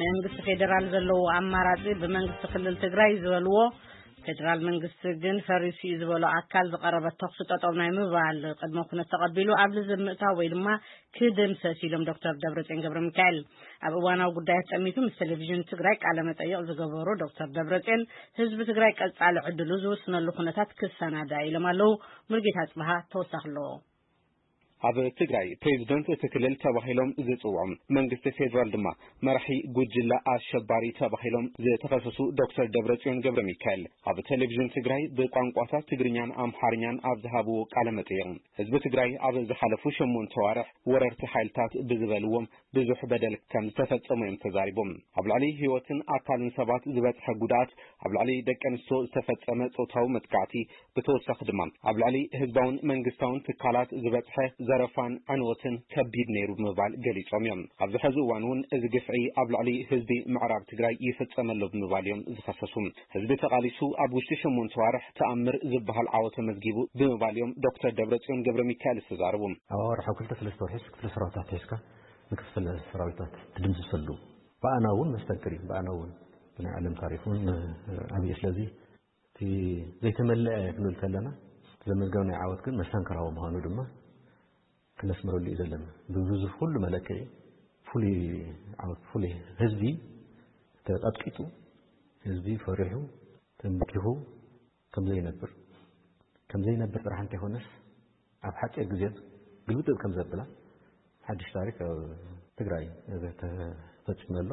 መንግስቲ ፌዴራል ዘለዎ ኣማራጺ ብመንግስቲ ክልል ትግራይ ዝበልዎ፣ ፌዴራል መንግስቲ ግን ፈሪሱ እዩ ዝበሎ ኣካል ዝቐረበ ተኹሲ ጠጠው ናይ ምባል ቅድመ ኩነት ተቐቢሉ ኣብ ልዝብ ምእታው ወይ ድማ ክድምሰስ ኢሎም ዶክተር ደብረጽዮን ገብረ ሚካኤል። ኣብ እዋናዊ ጉዳያት ጠሚቱ ምስ ቴሌቪዥን ትግራይ ቃለ መጠይቕ ዝገበሩ ዶክተር ደብረጽዮን፣ ህዝቢ ትግራይ ቀጻሊ ዕድሉ ዝውስነሉ ኩነታት ክሰናዳ ኢሎም ኣለዉ። ሙልጌታ ጽብሃ ተወሳኺ ኣለዎ። ኣብ ትግራይ ፕሬዚደንት እቲ ክልል ተባሂሎም ዝጽውዑ፣ መንግስቲ ፌዴራል ድማ መራሒ ጉጅለ ኣሸባሪ ተባሂሎም ዝተኸሰሱ ዶክተር ደብረጽዮን ገብረ ሚካኤል ኣብ ቴሌቪዥን ትግራይ ብቋንቋታት ትግርኛን ኣምሓርኛን ኣብ ዝሃብዎ ቃለ መጠይቕ፣ ህዝቢ ትግራይ ኣብ ዝሓለፉ ሸሞንተ ዋርሕ ወረርቲ ሓይልታት ብዝበልዎም ብዙሕ በደል ከም ዝተፈጸሙ እዮም ተዛሪቦም። ኣብ ልዕሊ ህይወትን ኣካልን ሰባት ዝበጽሐ ጉድኣት፣ ኣብ ልዕሊ ደቂ ኣንስትዮ ዝተፈጸመ ጾታዊ መጥቃዕቲ፣ ብተወሳኺ ድማ ኣብ ልዕሊ ህዝባውን መንግስታውን ትካላት ዝበጽሐ ዘረፋን ዕንወትን ከቢድ ነይሩ ብምባል ገሊጾም እዮም። ኣብዚ ሕዚ እዋን እውን እዚ ግፍዒ ኣብ ልዕሊ ህዝቢ ምዕራብ ትግራይ ይፍጸም ኣሎ ብምባል እዮም ዝኸሰሱ። ህዝቢ ተቓሊሱ ኣብ ውሽጢ ሸሞንተ ዋርሕ ተኣምር ዝበሃል ዓወት ተመዝጊቡ ብምባል እዮም ዶክተር ደብረጽዮን ገብረ ሚካኤል ዝተዛረቡ። ኣብ ኣዋርሕ ኣብ ክልተ ሰለስተ ወርሒ ክፍለ ሰራዊታት ሒዝካ ንክፍለ ሰራዊታት ትድምስሰሉ፣ ብኣና እውን መስተንክር እዩ። ብኣና እውን ብናይ ዓለም ታሪክ እውን ዓብዪ። ስለዚ እቲ ዘይተመለአ ክንብል ከለና፣ ዘመዝገብናዮ ዓወት ግን መስተንክራዊ ምዃኑ ድማ ክነስምረሉ እዩ ዘለና። ብብዙሕ ኩሉ መለክዒ ፍሉይ ዓወት፣ ፍሉይ ህዝቢ ተቐጥቂጡ፣ ህዝቢ ፈሪሑ ተንበርኪኹ ከም ዘይነብር፣ ከም ዘይነብር ጥራሕ እንተይኮነስ፣ ኣብ ሓፂር ግዜ ግልብጥብ ከም ዘብላ ሓድሽ ታሪክ ኣብ ትግራይ ተፈፂሙ ኣሎ።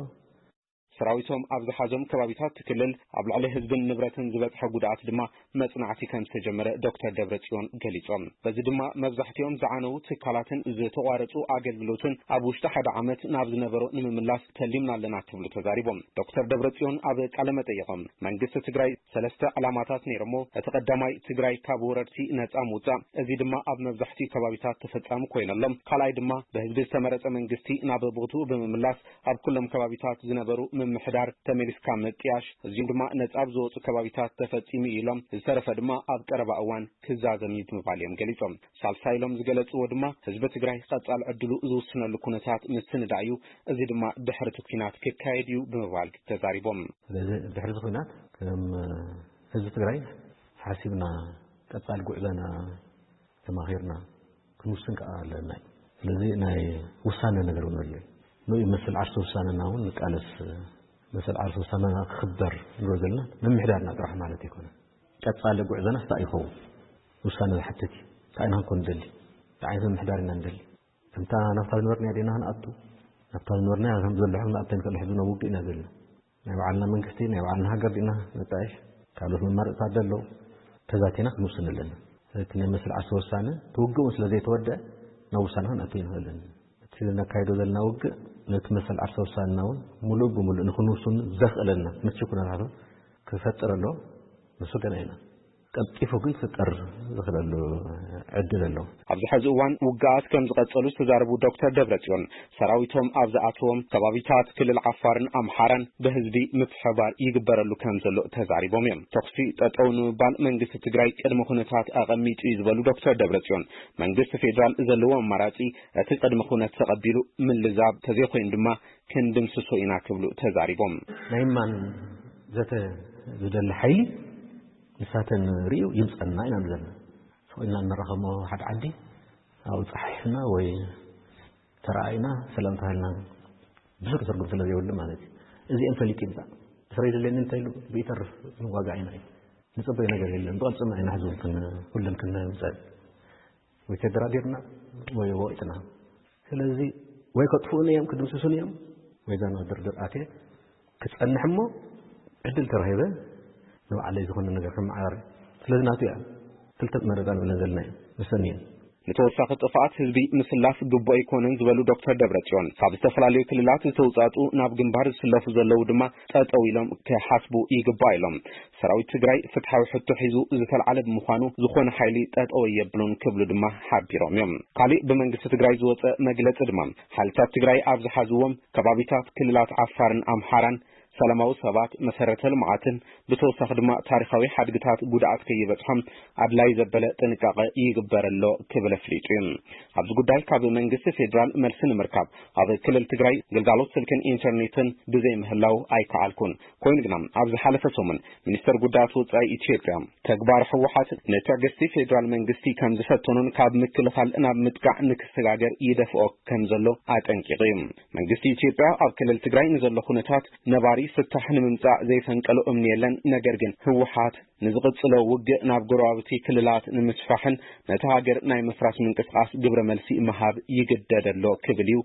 ሰራዊቶም ኣብ ዝሓዞም ከባቢታት ክልል ኣብ ልዕሊ ህዝብን ንብረትን ዝበፅሐ ጉድኣት ድማ መፅናዕቲ ከም ዝተጀመረ ዶክተር ደብረጽዮን ገሊጾም። በዚ ድማ መብዛሕትኦም ዝዓነዉ ትካላትን ዝተቋረፁ ኣገልግሎትን ኣብ ውሽጢ ሓደ ዓመት ናብ ዝነበሮ ንምምላስ ተሊምና ኣለና ክብሉ ተዛሪቦም። ዶክተር ደብረጽዮን ኣብ ቃለ መጠይቖም፣ መንግስቲ ትግራይ ሰለስተ ዕላማታት ነይሮሞ። እቲ ቀዳማይ ትግራይ ካብ ወረርቲ ነፃ ምውፃእ፣ እዚ ድማ ኣብ መብዛሕትኡ ከባቢታት ተፈጻሚ ኮይኑ ኣሎ። ካልኣይ ድማ ብህዝቢ ዝተመረፀ መንግስቲ ናብ ቦትኡ ብምምላስ ኣብ ኩሎም ከባቢታት ዝነበሩ ምምሕዳር ተመሊስካ ምጥያሽ፣ እዚኦም ድማ ነፃ ኣብ ዝወፁ ከባቢታት ተፈፂሙ እዩ ኢሎም፣ ዝተረፈ ድማ ኣብ ቀረባ እዋን ክዛዘም እዩ ብምባል እዮም ገሊፆም። ሳልሳይ ኢሎም ዝገለፅዎ ድማ ህዝቢ ትግራይ ቀፃሊ ዕድሉ ዝውስነሉ ኩነታት ምስንዳእ እዩ። እዚ ድማ ድሕሪ እቲ ኩናት ክካየድ እዩ ብምባል ተዛሪቦም። ስለዚ ድሕሪ እዚ ኩናት ከም ህዝቢ ትግራይ ሓሲብና ቀፃሊ ጉዕዞና ተማኺርና ክንውስን ከዓ ኣለና እዩ። ስለዚ ናይ ውሳነ ነገር እውን ኣሎ እዩ። ንኡ መሰል ዓርሰ ውሳነና እውን ንቃለስ፣ መሰል ዓርሰ ውሳነና ክኽበር ንብሎ ዘለና ምምሕዳርና ጥራሕ ማለት ኣይኮነን። ቀፃሊ ጉዕዞና ስታ ይኸውን ውሳነ ዝሓትት እዩ። እንታይ ኢና ክንኮን ንደሊ? እንታይ ዓይነት ምምሕዳር ኢና ንደሊ? ከምታ ናብታ ዝነበርናያ ዲና ክንኣቱ? ናብታ ዝነበርናያ ከም ዘሎ ሕዚ ንኣቱ ንክእል ሕዚ ናብ ውግእ ኢና ዘለና። ናይ ባዕልና መንግስቲ፣ ናይ ባዕልና ሃገር ዲና ነጣይሽ? ካልኦት መማረፅታት ዘሎ ተዛቲና ክንውስን ኣለና። እቲ ናይ መስል ዓርሰ ውሳነ እቲ ውግእ እውን ስለ ዘይተወደአ ናብ ውሳነ ክንኣቱ ኣይንኽእልን። እቲ ነካይዶ ዘለና ውግእ ነቲ መሰል ዓርሰ ውሳነና እውን ሙሉእ ብሙሉእ ንክንውስን ዘኽእለና ምቹ ኩነታቱ ክፈጥር ኣሎ። ንሱ ገና ኢና። ቀልጢፉ ግን ክፍጠር ዝኽእለሉ ዕድል ኣሎ። ኣብዚ ሕዚ እዋን ውግኣት ከም ዝቐጸሉ ዝተዛረቡ ዶክተር ደብረጽዮን፣ ሰራዊቶም ኣብ ዝኣተዎም ከባቢታት ክልል ዓፋርን ኣምሓራን ብህዝቢ ምትሕብባር ይግበረሉ ከም ዘሎ ተዛሪቦም እዮም። ተኹሲ ጠጠው ንምባል መንግስቲ ትግራይ ቅድመ ኩነታት ኣቐሚጡ እዩ ዝበሉ ዶክተር ደብረጽዮን፣ መንግስቲ ፌዴራል ዘለዎ ኣማራጺ እቲ ቅድመ ኩነት ተቐቢሉ ምልዛብ፣ ተዘይኮይኑ ድማ ክንድምስሶ ኢና ክብሉ ተዛሪቦም። ናይ ማን ዘተ ዝደሊ ሓይሊ ንሳተን ርእዩ ይምፀና ኢና ንዘልና። ስቕ ኢልና እንራኸሞ ሓደ ዓዲ ኣብኡ ፀሓሒፍና ወይ ተረኣኢና ሰላም ተባሂልና ብዙሕ ትርጉም ስለ ዘይብሉ ማለት እዩ። እዚኦም ፈሊጡ ይምፃእ። እስራኤል የድልየኒ እንተኢሉ ብኢተርፍ ንዋጋእ ኢና እዩ። ንፅበዮ ነገር የለን። ብቐልፅና ኢና ሕዚ እውን ክን-፣ ኩለን ክንምፀል ወይ ተደራዲርና ወይ ወቂጥና። ስለዚ ወይ ከጥፍኡኒ እዮም፣ ክድምስሱኒ እዮም፣ ወይ እዛ ናብ ድርድር ኣትየ ክጸንሕ እሞ ዕድል ተረኺበ ንባዕለይ ዝኾነ ነገር ከመዓራሪ። ስለዚ ናቱ እያ ክልተ መረፃ ንብለን ዘለና እዩ። ንሰን እየን። ንተወሳኺ ጥፍኣት ህዝቢ ምስላፍ ግቡእ ኣይኮነን ዝበሉ ዶክተር ደብረጽዮን፣ ካብ ዝተፈላለዩ ክልላት ዝተውጻጹ ናብ ግንባር ዝስለፉ ዘለዉ ድማ ጠጠው ኢሎም ክሓስቡ ይግባእ ኢሎም። ሰራዊት ትግራይ ፍትሓዊ ሕቶ ሒዙ ዝተልዓለ ብምዃኑ፣ ዝኾነ ሓይሊ ጠጠው ኣየብሎን ክብሉ ድማ ሓቢሮም እዮም። ካሊእ ብመንግስቲ ትግራይ ዝወፀ መግለፂ ድማ፣ ሓይልታት ትግራይ ኣብ ዝሓዝዎም ከባቢታት ክልላት ዓፋርን ኣምሓራን ሰላማዊ ሰባት፣ መሰረተ ልምዓትን ብተወሳኺ ድማ ታሪኻዊ ሓድግታት ጉድኣት ከይበጽሖም ኣድላይ ዘበለ ጥንቃቐ ይግበረሎ ክብል ኣፍሊጡ እዩ። ኣብዚ ጉዳይ ካብ መንግስቲ ፌዴራል መልሲ ንምርካብ ኣብ ክልል ትግራይ ግልጋሎት ስልክን ኢንተርኔትን ብዘይ ምህላው ኣይከኣልኩን። ኮይኑ ግና ኣብ ዝሓለፈ ሰሙን ሚኒስተር ጉዳያት ወጻኢ ኢትዮጵያ ተግባር ህወሓት ንትዕግስቲ ፌዴራል መንግስቲ ከም ዝፈተኑን ካብ ምክልኻል ናብ ምጥቃዕ ንክሰጋገር ይደፍኦ ከም ዘሎ ኣጠንቂቑ እዩ። መንግስቲ ኢትዮጵያ ኣብ ክልል ትግራይ ንዘሎ ኩነታት ነባሪ ፍታሕ ንምምጻእ ዘይፈንቀሎ እምኒ የለን፣ ነገር ግን ህወሓት ንዝቕጽሎ ውግእ ናብ ጎረባብቲ ክልላት ንምስፋሕን ነቲ ሃገር ናይ ምፍራስ ምንቅስቓስ ግብረ መልሲ ምሃብ ይግደድ ኣሎ ክብል እዩ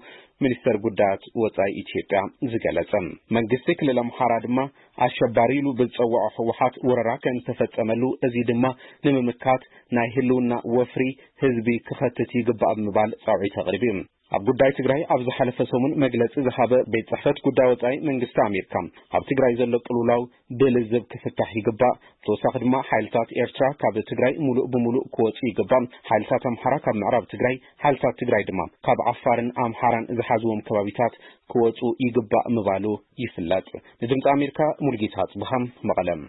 ሚኒስተር ጉዳያት ወጻኢ ኢትዮጵያ ዝገለጸ። መንግስቲ ክልል ኣምሓራ ድማ ኣሸባሪ ኢሉ ብዝጸውዖ ህወሓት ወረራ ከም ዝተፈጸመሉ፣ እዚ ድማ ንምምካት ናይ ህልውና ወፍሪ ህዝቢ ክኸትት ይግባእ ብምባል ጻውዒት ኣቕሪቡ እዩ። ኣብ ጉዳይ ትግራይ ኣብ ዝሓለፈ ሰሙን መግለጺ ዝሃበ ቤት ጽሕፈት ጉዳይ ወጻኢ መንግስቲ ኣሜሪካ፣ ኣብ ትግራይ ዘሎ ቅልውላው ብልዝብ ክፍታሕ ይግባእ። ተወሳኺ ድማ ሓይልታት ኤርትራ ካብ ትግራይ ሙሉእ ብሙሉእ ክወጹ ይግባእ። ሓይልታት ኣምሓራ ካብ ምዕራብ ትግራይ፣ ሓይልታት ትግራይ ድማ ካብ ዓፋርን ኣምሓራን ዝሓዝዎም ከባቢታት ክወጹ ይግባእ ምባሉ ይፍለጥ። ንድምፂ ኣሜሪካ ሙልጌታ ኣጽብሃም መቐለም።